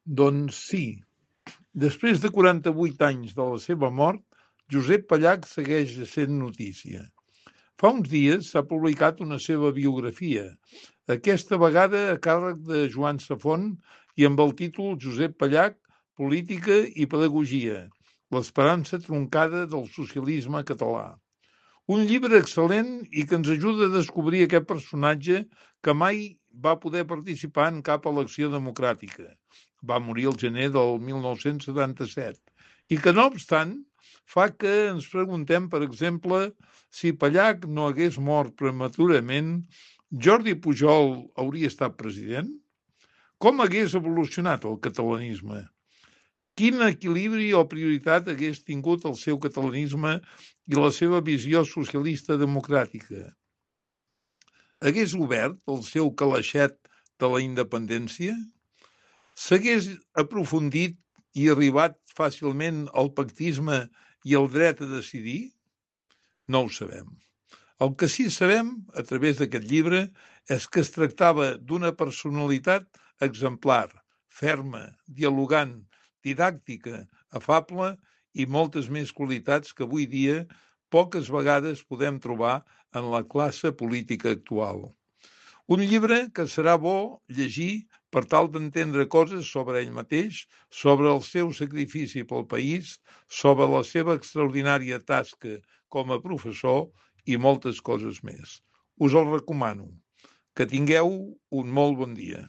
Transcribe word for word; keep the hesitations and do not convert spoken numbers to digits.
Doncs sí. Després de quaranta-vuit anys de la seva mort, Josep Pallach segueix sent notícia. Fa uns dies s'ha publicat una seva biografia, aquesta vegada a càrrec de Joan Safont i amb el títol Josep Pallach, política i pedagogia, l'esperança troncada del socialisme català. Un llibre excel·lent i que ens ajuda a descobrir aquest personatge que mai va poder participar en cap elecció democràtica. Va morir el gener del mil nou-cents setanta-set. I que, no obstant, fa que ens preguntem, per exemple, si Pallach no hagués mort prematurament, Jordi Pujol hauria estat president? Com hagués evolucionat el catalanisme? Quin equilibri o prioritat hagués tingut el seu catalanisme i la seva visió socialista democràtica? Hagués obert el seu calaixet de la independència? S'hagués aprofundit i arribat fàcilment al pactisme i al dret a decidir? No ho sabem. El que sí sabem, a través d'aquest llibre, és que es tractava d'una personalitat exemplar, ferma, dialogant, didàctica, afable i moltes més qualitats que avui dia poques vegades podem trobar en la classe política actual. Un llibre que serà bo llegir per tal d'entendre coses sobre ell mateix, sobre el seu sacrifici pel país, sobre la seva extraordinària tasca com a professor i moltes coses més. Us el recomano. Que tingueu un molt bon dia.